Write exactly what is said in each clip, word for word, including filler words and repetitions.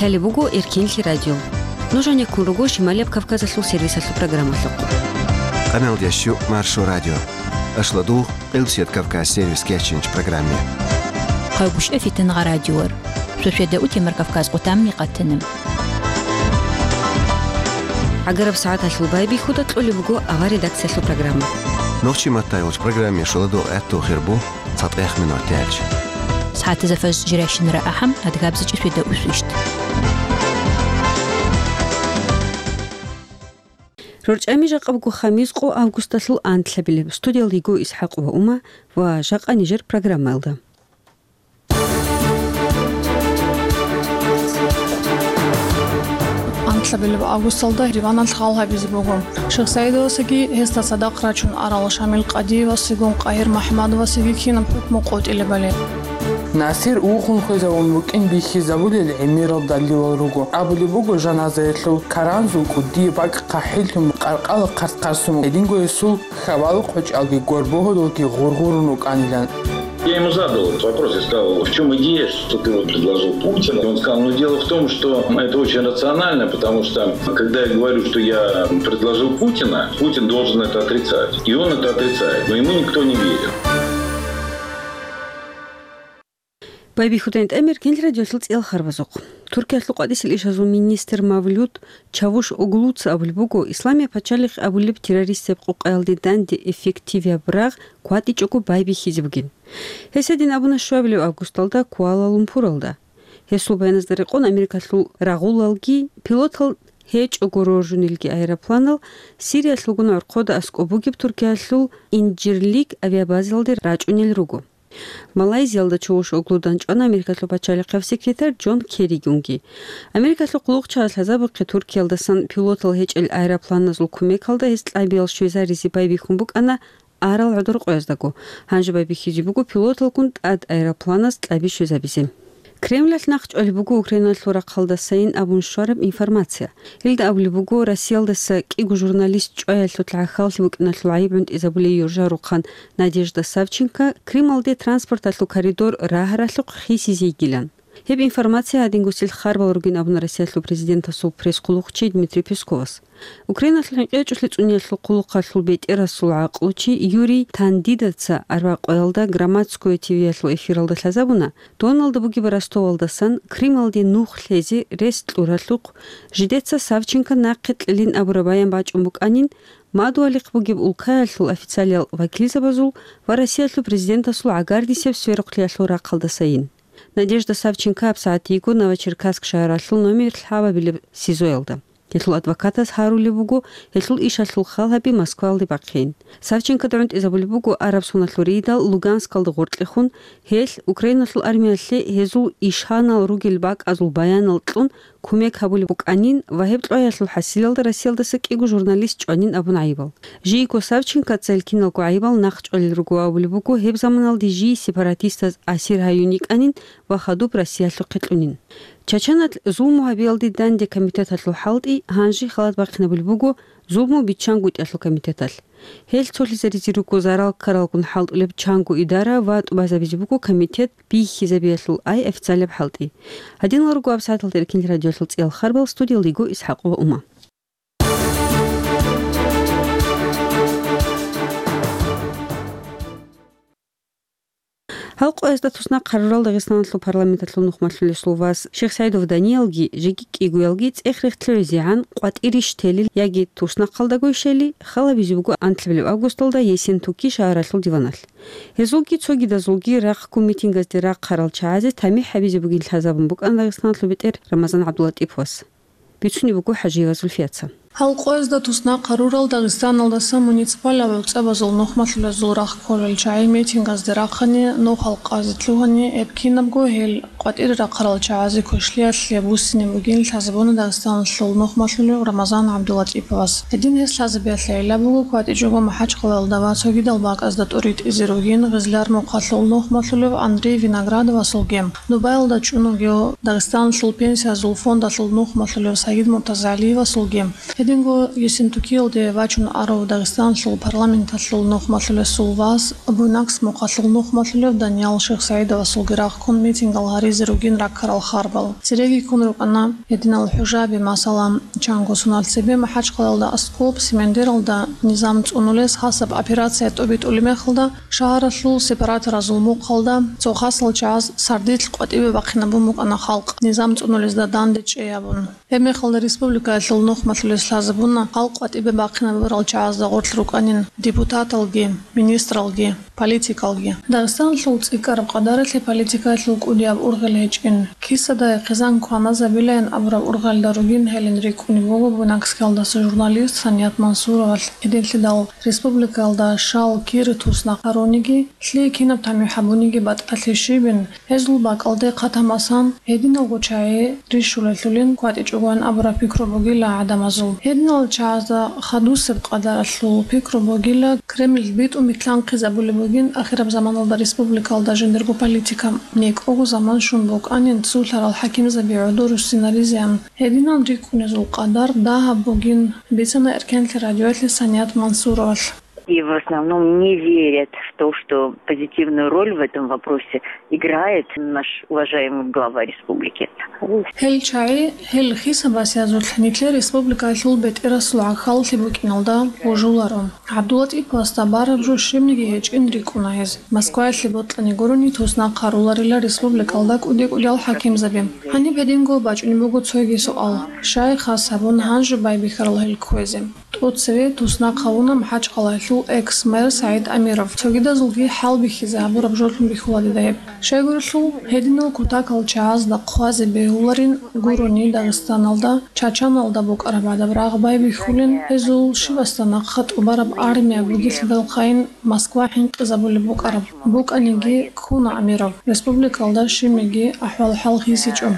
Лъалеб буго Эркенлъи радио. Нуж гьанеккун руго Шималияб Кавказалъул сервисалъул программалъухъ. Къаналдящу Маршо радио. Ашладугъ, Къилбсият Кавказ сервис кечинч программе. Хъагушев Фитангъа радиор. Шошеда утемар Кавказ къутамни къатанам. ГӀагараб сагӀаталъул байбихьуда кьолеб буго авар редакциялъул программа. Нохчи матайулч программе шоладо гӀатту хирбу. ЦатӀех минуталъ. СагӀатазда фажр жирайщинара ахӀам, адгабзичӀи шведа усвищт. РорчӀами жакъа буго хамис къо августалъул анлъабилеб. Студиялда йиго ИсхӀакъ ва Ума ва жакъа нижер программаялда. Анлъабилеб августалда диваналъ хал гьабизе буго. Шихсаидовасаги гьесда цадахъ рачун арал Шамил Къадиевасигун Къагьир МахӀмадовасиги кинаб хӀукму къотӀилебали. Насир ухун хвезавун букӀин бихьизабулел гӀемерал далилал руго. Абулеб буго, жаназаялъул каранзул кӀудияб бакӀ хъахӀиллъун къаркъала хъарс-хъарсун, гьединго гьесул хьавал-къочӀалги горбогьудалги гъургъурун рукӀанилан. Я ему задал этот вопрос, я сказал: «В чём идея, что ты вот предложил Путина?» И он сказал: «Ну, дело в том, что это очень рационально, потому что, когда я говорю, что я предложил Путина, Путин должен это отрицать». И он это отрицает, но ему никто не верит. Байбихьудайн тӀамир гел радиолъул цӀел харбазухъ. Туркиялъул къватӀисел ишазул министр Мавлют Чавушоглуца абулеб буго, Исламияб пачалихъ абулеб террористияб къукъаялде данде эффективияб рагъ кватӀичӀого байбихьизе бугин. Гьес гьедин абуна щуабилеб августалда Куала-Лумпуралда. Гьесул баяназда рекъон, Америкалъул рагъулалги, пилотал гьечӀого роржунелги аэропланал Сириялъулгун гӀорхъода аскӀоб бугеб Туркиялъул Инжирлик авиабазалде рачӀунел руго. Малайзиялда Чавушоглудан чӀвана Америкалъул пачалихъав секретарь Джон Керригунги. Америкалъул хъулухъчагӀаз лъазабухъе Туркиялдасан пилотал гьечӀел аэропланазул кумекалда гьес кьабиял щвезаризе байбихьун букӀана арал гӀодор къояздаго. Гьанже байбихьизе буго пилоталгун тӀад аэропланаз кьаби щвезабизе. Кремлалъ нахъчӀвалеб буго Украиналъул рахъалдасайин абун щвараб информация. Гьелда абулеб буго, Россиялдаса кӀиго журналист чӀваялъул гӀахьаллъи букӀиналъул гӀайиб гӀунтӀизабулей юржа рухъан Надежда Савченко Крымалде транспорталъул коридор рагьаралъухъ хисизе йигилан. Гьеб информация гьадингосил харбал ругин абуна Россиялъул президентасул пресс-хъулухъчи Дмитрий Песковас. Украиналъул хӀинкъичӀолъи цӀуниялъул хъулухъалъул бетӀерасул гӀакълучи Юрий Тандидаца арбякъоялда «Громадское ТВ»ялъул эфиралда лъазабуна, доналда бугеб Ростовалдасан Крымалде нух лъезе рес кьуралъухъ, жидеца Савченко нахъе кьелин абураб баян бачӀун букӀанин, мадугьалихъ бугеб улкаялъул официалиял вакилзабазул ва Россиялъул президентасул гӀагардисеб сверухълъиялъул рахъалдасайин. Надежда Савченко гьабсагӀат йиго Новочеркасск шагьаралъул номер лъабабилеб СИЗОялда. Гьелъул адвокатас гьарулеб буго гьелъул ишалъул хал гьаби Москвалде бахъейин. Савченкода гӀунтӀизабулеб буго араб соналъул рейдал Луганскалда гъоркьехун, гьелъ Украиналъул армиялъе гьезул ишанал ругел бакӀазул баянал кьун кумек гьабулеб букӀанин ва гьеб кьваялъул хӀасилалда Россиялдаса кӀиго журналист чӀванин абун гӀайибал. Жийго Савченкоца гьел киналго гӀайибал нахъчӀвалел руго ва абулеб буго, гьеб заманалде жий сепаратистаз асир гьаюн йикӀанин ва хадуб Россиялъухъе кьунин. Чачаналъ зулму гьабиялде данде комитеталъул хӀалтӀи гьанже халат бахъинабулеб буго зулму биччангутӀиялъул комитеталъ. Гьел цолъизаризе руго зарал ккаралгун хӀалтӀулеб чанго идара ва тӀубазабизе буго комитет бихьизабиялъул ай официалаб хӀалтӀи. Гьадинал руго гьабсагӀаталда Эркин радиолъул цӀиял харбал, студиялда йиго ИсхӀакъ ва Ума. Гьал къоязда туснахъ гьарурал Дагъистаналъул парламенталъул нухмалъулесул вас Шихсайдов Даниялги жеги кӀигоялги цӀех-рехтлъи гӀезегӀан къватӀирищ телил яги туснахъалдагойщали, халабизе буго анлъабилеб августалда Ессентуки шагьаралъул диваналъ. Гьезулги цогидазулги рахъго митингазде рахъарал чагӀазе тамихӀ гьабизе бугин лъазабун букӀана Дагъистаналъул бетӀер Рамазан ГӀабдуллатӀиповас. Бицунеб буго ХӀажиева Зульфияца. Гьал къоязда туснахъ гьарурал Дагъистаналдаса муниципалаб гӀуцӀабазул нухмалъулезул рахъ кколел чагӀи митингазде рахъани, нухал къазе лъугьани, гьеб кинабго гьел къватӀире рахъарал чагӀазе квешлъиялъе буссине бугин лъазабуна Дагъистаналъул нухмалъулев Рамазан ГӀабдуллатӀиповас. Гьедин гьес лъазабиялъе гӀилла буго кватӀичӀого МахӀачхъалаялда ва цогидал бакӀазда тӀуритӀизе ругин Гъизлар-Мухъалъул нухмалъулев Андрей Виноградовасулги, Дубаялда чӀун вугев Дагъистаналъул пенсиязул фондалъул нухмалъулев Саид МуртазагӀалиевасулги. Динго Ессентукиялде вачун арав Дагъистаналъул парламенталъул нухмалъулесул вас, Буйнакск мухъалъул нухмалъулев Даниял Шихсаидовасулги рахъун митингал гьаризе ругин раккарал харбал. Цереги ккун рукӀана гьединал хӀужаби, масала, чанго соналъ цебе МахӀачхъалаялда аскӀоб Семендералда низам цӀунулес хасаб операция тӀобитӀулеб мехалда, шагьаралъул сепараторазул мухъалда цо хасал чагӀаз сардилъ къватӀибе бахъинабун букӀана халкъ, низам цӀунулезда данде чӀей абун. Гьебмехалда республикаялъул нухмалъулес лъазабуна халкъ къватӀибе бахъинабурал чагӀазда гъорлъ рукӀанин депутаталги, министралги, политикалги. Дагъистаналъул цӀикӀкӀараб къадаралъе политикаялъул кӀудияб ургъел гьечӀин. Кисадай хъизан кваназабилаян абураб ургъелда ругин гьелин рикӀкӀунеб буго Буйнакскиялдаса журналист Саният Мансуровалъ. Гьединлъидал республикаялда шал кир туснахъ гьаруниги, лъие кинаб тамихӀ гьабуниги батӀалъи щибин, гьезул бакӀалде хъатам асан, гьединалго чагӀи рищулелъулин кватӀичӀогоян абураб пикру бугила гӀадамазул. Гьединал чагӀазда хадусеб къадаралъул пикру бугила Кремль битӀун битӀлъанхъизабулеб бугин ахираб заманалда республикалда жиндирго политика. НекӀого заман щун букӀанин цулъарал хӀакимзаби гӀодор руссинаризеян. Гьединал рикӀкӀунезул къадар дагьаб бугин, бицана Эркенлъи радиоялъе Саният Мансуровалъ. И в основном не верят в то, что позитивную роль в этом вопросе играет наш уважаемый глава республики. Гьел чагӀи, гьел хисабасиязулъ нилъер республикаялъул бетӀерасул гӀахьаллъи букӀиналда божуларо. ГӀабдуллатӀиповасда бараб жо щибниги гьечӀин рикӀкӀуна гьез. Москваялъе бокьани гурони туснахъ гьаруларила республикалда кӀуди-кӀудиял хӀакимзаби. Гьаниб гьединго бачӀунеб буго цоги суал. Щай хас гьабун гьанже байбихьарал гьел кквезе? ТӀоцеве туснахъ гьавуна МахӀачхъалаялъул экс-мэр СагӀид Амиров. Цогидазулги хӀалбихьизе гьабураб жолъун бихьула дида гьеб. Щайгурелъул, гьединал кутакал чагӀазда хъвазе бегьуларин гурони Дагъистаналда, Чачаналда букӀараб гӀадаб рагъ байбихьулин, гьезул щибасда нахъа тӀубараб армия бугелъидалхъайин Москва хӀинкъизабулеб букӀараб. БукӀаниги ккуна Амиров, республикалда щибниги ахӀвал-хӀал гьисичӀо.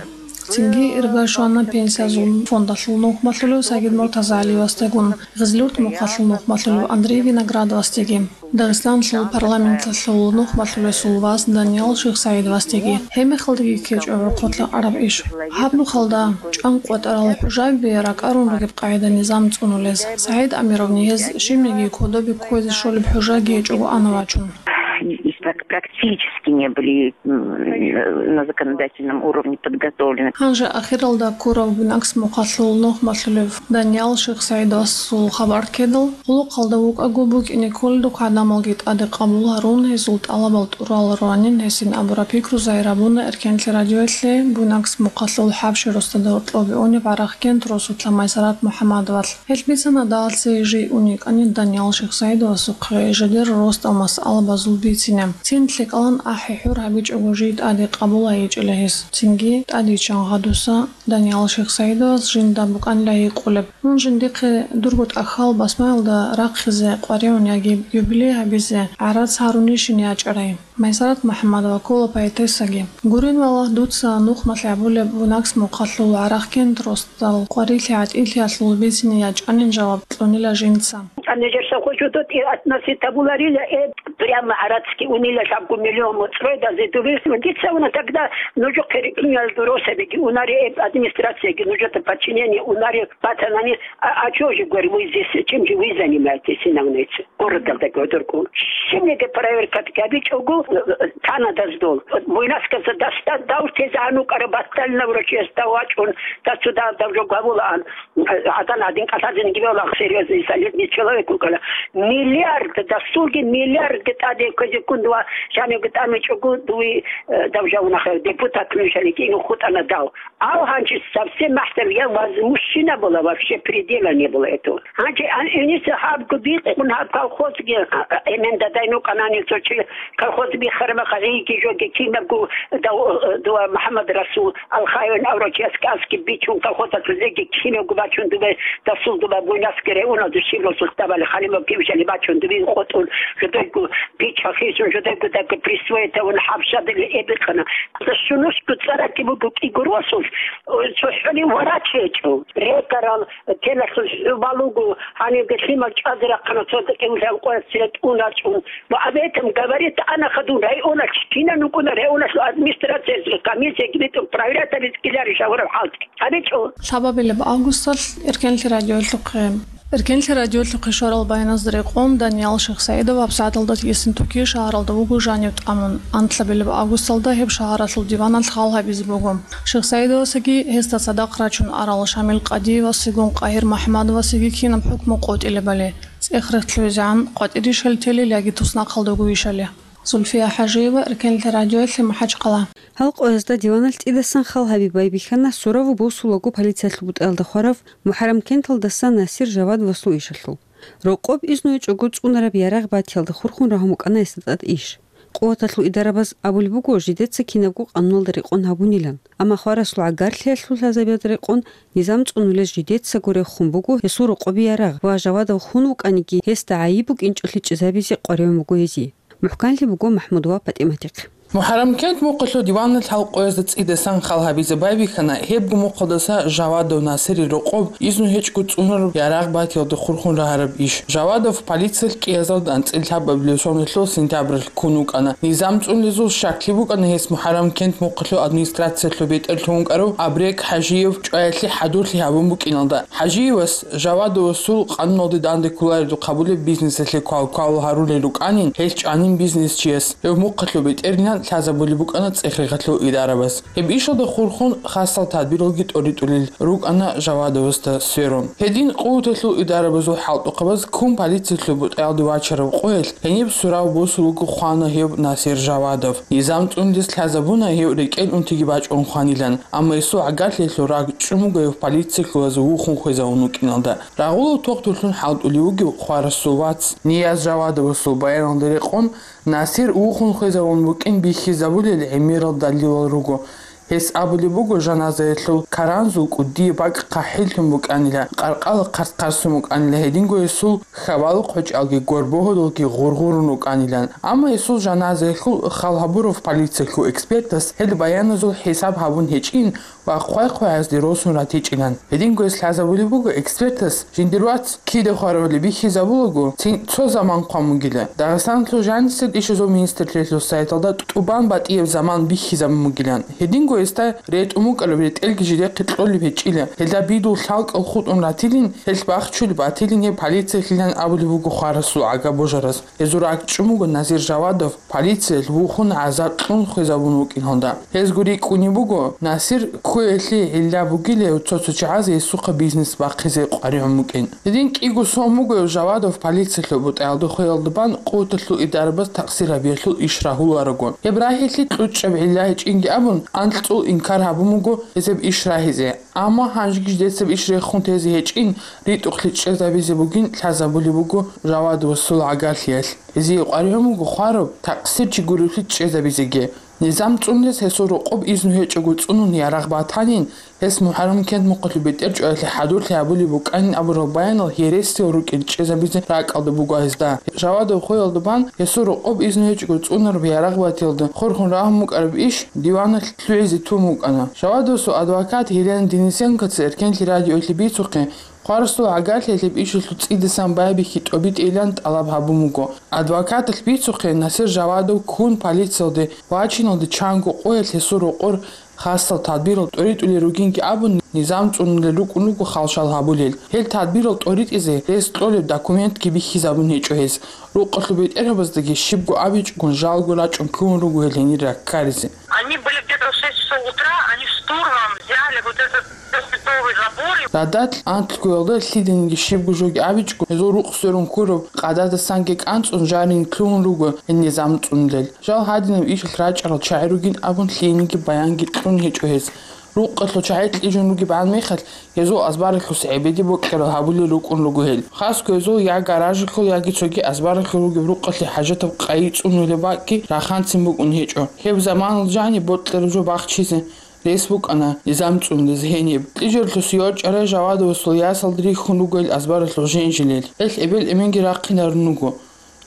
Цинги ирга щвана Пенсиязул фондалъул нухмалъулев Сагид МуртазагӀалиевасдагун, ГъизлуртӀ мухъалъул нухмалъулев Андрей Виноградовасдеги. Дагъистаналъул парламенталъул нухмалъулесул вас Даниял Шихсаидовасдеги. Гьебмехалдаги ккечӀо гӀорхъолъа араб иш. Гьаб нухалда чӀанкъватӀарал хӀужаби ракӀарун ругеб къагӀида низам цӀунулез. СагӀид Амировни гьез щибниги кодобе кквезе щолеб хӀужаги гьечӀого ана вачун. Прак-, практически не были, м, на законодательном уровне подготовлены. Гьанже ахиралда ккурав Буйнакск мухъалъул нухмалъулев Даниял Шихсаидовасул хабар ккедал, гъулухъалда вукӀаго букӀине кколедухъ гӀадамалги тӀаде къабул гьарун, гьезул тӀалабал тӀурал руанин гьесин абураб пикру загьир гьабуна Эркенлъи радиоялъе Буйнакск мухъалъул ХӀабщи росдада гьоркьоб унеб ГӀарахкент росулъа Майсарат МухӀаммадовалъ. Гьел бицана дагьалъе жий ун йикӀанин Даниял Шихсаидовасухъе жидер росдал масъалабазул бицине. Цин лъикӀалан ахӀи-хӀур гьабичӀого жий тӀаде къабул гьайичӀила гьес. Цинги тӀадичӀан гъадуса Даниял Шихсаидовас жинда букӀанила гьикъулеб: «Мун жиндихъе дурго тӀахьал басмаялда рахъизе къваригӀун яги юбилей гьабизе гӀарац гьарунищин ячӀарай?» Майсарат МухӀаммадова ккола поэтессаги. Гурин валагь, дуца нухмалъ гьабулеб Буйнакск мухъалъул ГӀарахкент росдал къварилъи гӀатӀилъиялъул бицине ячӀанин жаваб кьунила жинца. А нижер совхозу тут и относить табуларила, э, прямо гӀарацги унила лъабго миллион моцӀрой дазе дубис. Дица уна тогда нужу херикинал дуросабиги унари, э, администрацияги нужу подчинение унари батанани, а, а чё же, говорю, вы здесь, чем же вы занимаетесь, инавнец? Городалда гӀодорго. Щибниги проверка гьабичӀого, э, э, тана даздол. Буйнакскалда дасда давтезе гьанукъара батална врачиясда вачӀун, дасуда давжо гавулаан. ГӀадан гьадин кӀалъазеги бегьула, серьёзный, солидный человек вукӀана. Миллиард, дасулги миллиард тӀаде кквезе ккун дова жанивги тӀамичӀого дуе, э, давжавунаха, депутат нушани кӀиго хутӀана дав. Ав гьанже совсем махтар, я возмущена была, вообще предела не было этого. Гьанже ан-, иниса гьабго бикъун гьаб колхозги, а, а, эмен дадай нукъанани цо чи колхоз бихарма хагъиги жоги кинабго дав-, дова МухӀаммад Расул Алхаеван аврачияс кӀасги бичун колхозалъулеги кинабго бачун дубе дасул дуба буйнасги реуна душиб росул табали халимаб кивжали бачун дуби къотӀун жодойго Бича хисун жодего даго присвоить авун хӀабжадали эбикъана. Сунусго цӀаракки буго кӀигурвасулъ, цохӀони варач гьечӀо. Рекарал телалъул хӀубал руго, гьанивги лъимал чӀвазе рахъана цо декӀевлъи гьанкъоялъ цере тӀун рачӀун. Ва об этом говорит ана хадун районалъ, кина нукӀуна районалъул администрациялъе комиссияги битӀун проверять гьабиз ккеларищ гьавураб хӀалтӀи. ГьабичӀо. Лъабабилеб августалъ Эркенлъи радиолъухъе. Эркенлъи радиолъухъе щварал баяназда рекъон Даниял Шихсаидов гьабсагӀаталда Ессентуки шагьаралда вуго жанив тӀамун. Анлъабилеб августалда гьеб шагьаралъул диваналъ хал гьабизе буго. Шихсаидовасаги гьесда цадахъ рачун арал Шамил Къадиевасигун КъагьирмухӀаммадовасиги кинаб хӀукму къотӀилебали, цӀех рехтлъуйизегӀан къватӀирищали телил яги туснахъалдаго вищали. Зульфия ХӀажиева, Эркенлъи радиоялъе, МахӀачхъала. Гьал къоязда диваналъ цӀидасан хал гьаби байбихьана сураву босулаго полициялъул бутӀаялда хварав МухӀаррам кенталдаса Насир Жавадовасул ишалъул. Рокъоб изну гьечӀого цӀунараб ярагъ батиялда хурхун рагьун букӀана гьесда тӀад иш. Къуваталъул идарабаз абулеб буго жидеца кинабго къануналда рекъон гьабунилан, амма хварасул гӀагарлъиялъул лъазабиялда рекъон низам цӀунулез жидецаго рехун буго гьесул рокъоби ярагъ ва Жавадов хун вукӀаниги, гьесда гӀайиб букӀинчӀолъи чӀезабизе къваригӀун буго гьезие. МухӀканлъи буго МахӀмуд ва ПатӀиматихъ. МухӀаррам кент мухъалъул диваналъ гьал къоязда цӀидасан хал гьабизе байбихьана, гьебго мухъалдаса Жавадов Насирил рокъоб изну гьечӀго цӀунараб ярагъ батиялда хурхун рагьараб иш. Жавадов полициялъ кӀиазалда анцӀила лъабабилеб соналъул сентябралъ ккун вукӀана. Низам цӀунулезул щаклъи букӀана гьес МухӀаррам кент мухъалъул администрациялъул бетӀерлъун вукӀарав Абрек ХӀажиев чӀваялъе хӀадурлъи гьабун букӀиналда. ХӀажиевас Жавадовасул къануналде данде кколареб хъабулеб бизнесалъе квал-квал гьарулел рукӀанин, гьел чӀванин бизнесчияс. Гьев мухъалъул бетӀергьан лъазабулеб букӀана цӀех-рехалъул идарабаз. Гьеб ишалда хурхун хасал тадбиралги тӀоритӀулел рукӀана Жавадовасда сверун. Гьедин къуваталъул идарабазул хӀалтӀухъабаз ккун полициялъул бутӀаялде вачараб къоялъ гьениб сурав босулго хвана гьев Насир Жавадов. Низам цӀунулес лъазабуна гьев рекӀел унтиги бачӀун хванилан, амма гьесул гӀагарлъиялъул рагъ чӀун буго гьев полициялъулаз вухун хвезавун вукӀиналда. Рагъулав тохтурлъун хӀалтӀулев вугев хварасул вац Нияз Жавадовасул баяналда рекъон, Насир вухун хвезавун вукӀин бихьизабулел гӀемерал далилал руго. Гьес абулеб буго, жаназаялъул каранзул кӀудияб бакӀ хъахӀиллъун букӀанила, къаркъала хъарс-хъарсун букӀанила, гьединго гьесул хьабалухъ гьечӀалги горбогьудалги гъургъурун рукӀанилан. Амма гьесул жаназаялъул хал гьабурав полициялъул экспертас гьел баяназул хӀисаб гьабун гьечӀин ва хъвай-хъваязде росун ратичӀилан. Гьединго гьес лъазабулеб буго экспертас, жиндир вац кида хваравали бихьизабулаго, цин цо заман хъван бугила. Дагъистаналъул жанисел ишазул министрлъиялъул сайталда тӀубан батӀияб заман бихьизабун бугилан. Гьединго гьесда ретӀун букӀараб ретӀелги жидехъе кьолеб гьечӀила. Гьелда бидул лъалкӀал хутӀун ратилин, гьелъ бахчулеб батилин гьеб полициялъилан абулеб буго хварасул гӀага божараз. Гьезул рагъ чӀун буго Назир Жавадов полициялъ вухун гӀазаб кьун хвезабун вукӀиналда. Гьезго рикӀкӀунеб буго, Насир кквеялъе гӀилла бугилев цо-цо чагӀаз гьесухъа бизнес бахъизе къваригӀун букӀин. Гьедин кӀиго сон буго Жавадов полициялъул бутӀаялда хвеялда бан къуваталъул идарабаз такъсир гьабиялъул иш рагьуларого. Гьеб рагьилъи кьучӀаб гӀилла гьечӀинги абун, анкьцӀул инкар гьабун буго гьезеб иш рагьизе. Амма гьанжеги жидецаб иш рехун тезе гьечӀин, ритӀухълъи чӀезабизе бугин лъазабулеб буго Жавадовасул гӀагарлъиялъ. Гьезие къваригӀун буго хвараб такъсир чи гуревлъи чӀезабизеги. Низам цӀунулес гьесул рокъоб изну гьечӀого цӀунун ярагъ батанин, гьес МухӀаррам кент мухъалъул бетӀер чӀваялъе хӀадурлъи гьабулеб букӀанин абурал баянал гьересиял рукӀин чӀезабизе ракӀалда буго гьезда. Жавадов хвеялда бан гьесул рокъоб изну гьечӀого цӀунараб ярагъ батиялда хурхун рагьун букӀараб иш диваналъ лъугӀизе тун букӀана. Жавадовасул адвокат Елена Денисенкоца Эркенлъи радиоялъе бицухъе, хварасул гӀагарлъиялъе гьеб ишалъул цӀидасан байбихьи тӀобитӀейилан тӀалаб гьабун буго. Адвокаталъ бицухъе, Насир Жавадов ккун полициялде вачиналде чанго къоялъ гьесул рокъор хасал тадбирал тӀоритӀулел ругинги абун, низам цӀунулел рукӀун руго халшал гьабулел. Гьел тадбирал тӀоритӀизе рес кьолеб документги бихьизабун гьечӀо гьез. Рукъалъул бетӀергьабаздаги щибго абичӀогун жалго рачӀун ккун руго гьел гьенир раккаризе. Они были где-то в шесть часов утра, они штурмом взяли вот этот трёхметровый забор. Радал анлъгоялда лъиданиги щибго жоги абичӀого, гьезул рукъ сверун ккураб къададасанги кӀанцӀун жанин ккун руго гьел низам цӀунулел. Жал гьадинаб ишалъ рачӀарал чагӀи ругин абун лъиениги баянги кьун гьечӀо гьез. Рукъалъул чагӀи кьижун ругебгӀан мехалъ, гьезул азбаралъус гӀебеде бокьарал гьабулел рукӀун руго гьел. Хасго гьезул я гаражалъул, яги цоги азбаралъул ругеб рукъалъе хӀажатаб къайи цӀунулеб бакӀги раханцин букӀун гьечӀо. Гьеб заманалда жаниб бокьараб жо бахчизе рес букӀана низам цӀунулез гьениб. Кьижаралъус йорчӀарай Жавадовасул ясалда рихьун руго гьел азбаралъул женжилел. Гьелъ эбел-эменги рахъинарун руго.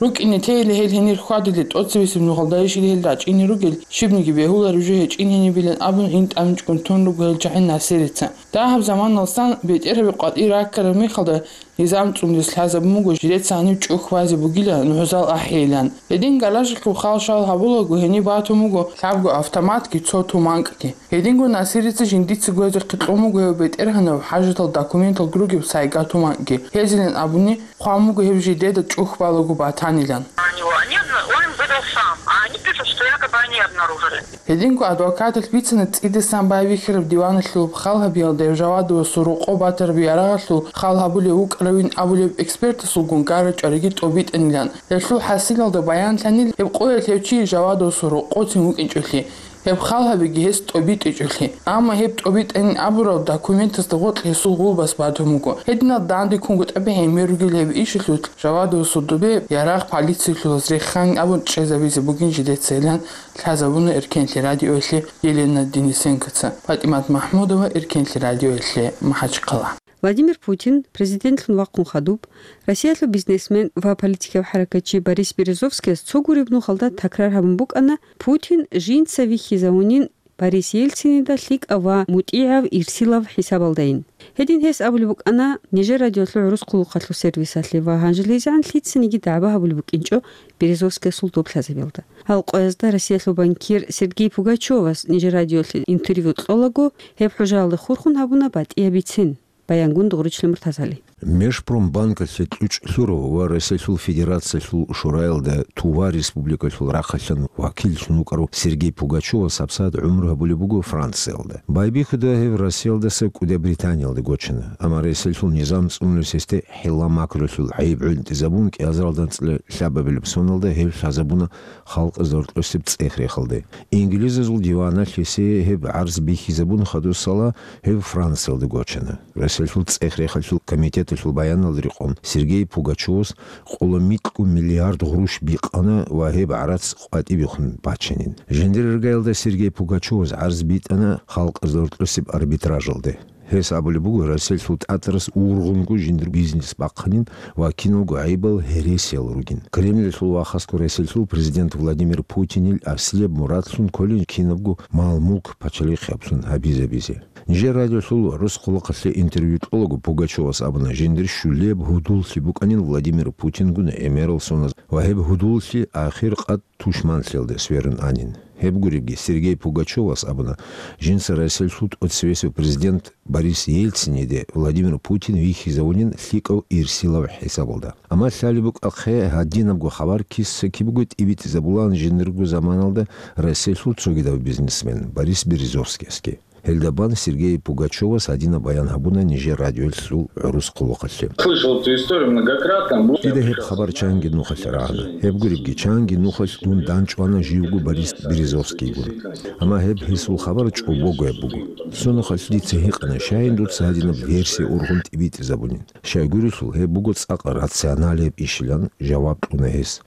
РукӀине тейила гьел гьенир хьвадилел тӀоцебесеб нугӀалда ишил гьел рачӀине ругел, щибниги бегьулареб жо гьечӀин гьенибилан абун, гьин тӀамичӀгун тун руго гьел чагӀи Насирица. Дагьаб заманалсан бетӀергьаби къватӀир раккараб мехалда, низам цӀундес лъазабун буго жидеца гьаниб чӀухь базе бугила нугӀзал ахӀейилан. Гьедин гаражалъул хал-шал гьабулаго гьениб батун буго лъабго автоматги цо туманкӀги. Гьединго Насирица жиндица гвезе хъикьун буго гьев бетӀергьанав хӀажатал документалги ругеб сайга туманкӀги. Гьезилан абуни, хъван буго гьеб жидеда чӀухь балаго батанилан. Они его, они обна-, он им выдал сам, а они пишут, что якобы они обнаружили. Гьединго адвокаталъ бицана цӀидасан байбихьараб диваналъул хал гьабиялда гьев Жавадовасул рокъо батараб ярагъалъул хал гьабулев вукӀаравин абулеб экспертасулгун гара-чӀвариги тӀобитӀанилан. Гьелъул хӀасилалда баянлъанил гьеб къоялъ гьев чи Жавадовасул рокъоцин вукӀинчӀолъи, гьеб хал гьабиги гьес тӀобитӀичӀолъи. Амма гьеб тӀобитӀанин абурал документазда гъоркь гьесул гъулбас батун буго. Гьединал данде ккунго тӀаби гӀемер ругел гьеб ишалъулъ Жавадовасул добе ярагъ полициялъулаз реханин абун чӀезабизе бугин жидецайилан лъазабуна Эркенлъи радиоялъе Елена Денисенкоца. ПатӀимат МахӀмудова, Эркенлъи радиоялъе, МахӀачхъала. Владимир Путин президентлъун вахъун хадуб, Россиялъул бизнесмен ва политикав хӀаракатчи Борис Березовскияс цо гуреб нухалда такрар гьабун букӀана, Путин жинца вихьизавунин Борис Ельцинида лъикӀав ва мутӀигӀав ирсилав хӀисабалдайин. Гьедин гьес абулеб букӀана нижер радиолъул гӀурус хъулухъалъул сервисалъе ва гьанжелезегӀан лъицаниги дагӀба гьабулеб букӀинчӀо Березовскиясул доб лъазабиялда. Гьал къоязда Россиялъул банкир Сергей Пугачевас нижер радиолъе интервью кьолаго, гьеб хӀужаялда хурхун гьабуна батӀияб бицин. Баянгун Дугъричлъи Муртазали. Межпромбанкалъе кьучӀ лъурав ва Россиялъул Федерациялъул Шураялда товар республикалъул рахъалъан вакиллъун вукӀарав Сергей Пугачевас гьабсагӀат гӀумру гьабулеб буго Франциялда. Байбихьуда гьев Россиялдаса КӀуда Британиялда гочана, амма Россиялъул низам цӀунулес гьесде хӀилла-макрулъул гӀайиб гӀунтӀизабун, кӀиазаралда анцӀила лъабабилеб соналда гьев лъазабуна халкъазда гьоркьосеб цӀех-рехалде. Инглизазул диваналъ гьесие гьеб гӀарз бихьизабун хадусала гьев Франциялда гочана. Россиялъул цӀех-рехалъул комитеталъул баяналда рекъон, Сергей Пугачевас къоло микьго миллиард гъруш бикъана ва гьеб гӀарац къватӀибехун бачанин. Жиндир иргаялда Сергей Пугачевас гӀарз битӀана халкъазда гьоркьосеб арбитражалде. Гьес абулеб буго, Россиялъул тӀатарас ургъунго жиндир бизнес бахъанин ва киналго гӀайибал гьересиял ругин. Кремльалъул вахасго Россиялъул президент Владимир Путинил аслияб мурадлъун кколин кинабго мал-мулк пачалихъ гьабсун гьабизабизе. Нижер радиолъул гӀурус хъулухъалъе интервью кьолаго Пугачевас абуна, жиндир щулеб гьудуллъи букӀанин Владимир Путингун гӀемерал соназ ва гьеб гьудуллъи ахир къад тушманлъиялде сверун анин. Гьеб гуребги, Сергей Пугачевас абуна, жинца Россиялъул тӀоцевесев президент Борис Ельциниде Владимир Путин вихьизавунин лъикӀав ирсилав хӀисабалда. Амма лъалеб букӀахъе гьадинабго хабар киса-кибего тӀибитӀизабулаан жиндирго заманалда Россиялъул цогидав бизнесмен Борис Березовскиясги. Гьелда бан Сергей Пугачевас гьадинаб баян гьабуна нижер радиолъул гӀурус хъулухъалъе. Слышал эту историю многократно. Дида гьеб хабар чанги нухалъ рагӀана. Гьеб гуребги, чанги нухалъ дун данчӀвана живго Борис Березовскийгун. Амма гьеб гьесул хабар чӀобогояб буго. Цо нухалъ дица гьикъана, щайин дуца гьадинаб версия ургъун тӀибитӀизабунин. Щайгурелъул, гьеб буго цӀакъ рационалияб ишилан жаваб кьуна гьес.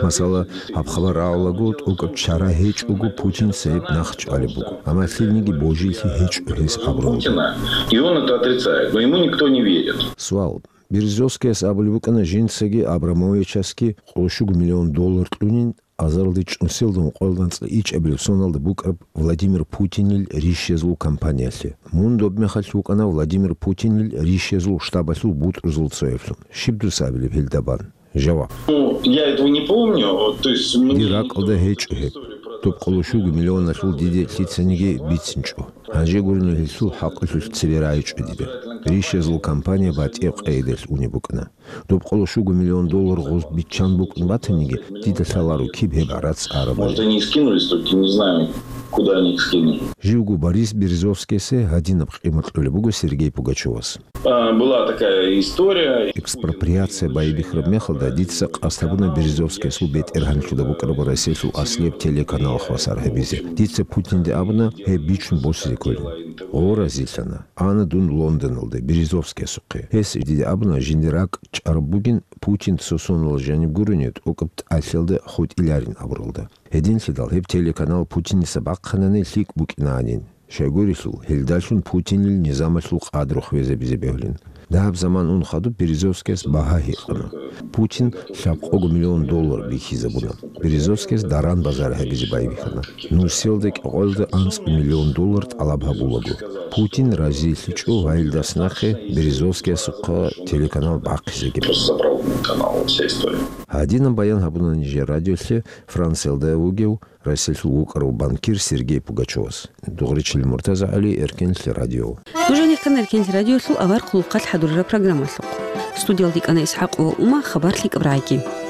Масала, гьаб хабар рагӀулаго, тӀокӀаб чара гьечӀого Путинца гьеб нахъчӀвалеб буго. Амма лъилниги божилъи гьечӀо гьес абуралда. Путина, и он это отрицает, но ему никто не верит. Суал. Березовскияс абулеб букӀана, жинцаги Абрамовичасги къоло щуго миллион доллар кьунин, азаралде чӀунселда ункъоялда анцӀила ичӀабилеб соналда букӀараб Владимир Путинил рищезул компаниялъе. Мун доб мехалъ вукӀана Владимир Путинил рищезул штабалъул бутӀрузул цояблъун. Щиб дуца абилеб гьелда бан? Жаваб. Ну, я этого не помню. То есть, мне... Дир ракӀалда гьечӀо гьеб. Доб къоло щуго миллионалъул диде лъицаниги бицинчӀо. Гьанже гурин гьелъул хӀакъалъулъ цебе рагӀичӀо дида. Рищезул компания батӀияб къайдалъ унеб букӀана. Доб къоло щуго миллион доллар гъоз биччан букӀун батаниги, дида лъаларо киб гьеб гӀарац арабали. Может, они и скинулись, только не знаем, куда они их скинули. Живго Борис Березовскийасе гьадинаб къимат кьолеб буго Сергей Пугачевас. А, была такая история. Экспроприация байбихьараб мехалда дица къасд гьабуна Березовскиясул бетӀергьанлъуда букӀараб Россиялъул аслияб телеканал хвасар гьабизе. Дица Путинде абуна гьеб бичун босизе кколин. Гъо разилъана. Ана дун Лондоналде, Березовскиясухъе. Гьес диде абуна, жиндир ракӀ чӀараб бугин, Путин цо сонал жаниб гурони, тӀокӀаб тӀалъиялда хутӀиларин абуралда. Гьединлъидал гьеб телеканал Путиница бахъанани лъикӀ букӀинанин. Щайгурелъул, гьелдалъун Путинил низамалъул къадру хвезабизе бегьулин. Дагьаб заман ун хадуб Березовскияс багьа гьикъана. Путин лъабкъого миллион доллар бихьизабуна. Березовскияс даран-базар гьабизе байбихьана. Нусиялда кӀикъоялда анцӀ миллион доллар тӀалаб гьабулаго. Путин разилъичӀо ва гьелдас нахъе Березовскиясухъа телеканал бахъизеги. Просто забрал канал, вся история. Гьадинаб баян гьабуна нижер радиолъе Франциялда вугев Россиялъул вукӀарав банкир Сергей Пугачевас. Дугъричил МуртазагӀали, Эркенлъи радио. Нуж гьанихъан Эркенлъи радиолъул авар хъулухъалъ хӀадурараб программалъухъ. Студиялда кӀана ИсхӀакъ ва Ума хабар лъикӀаб рагӀиги.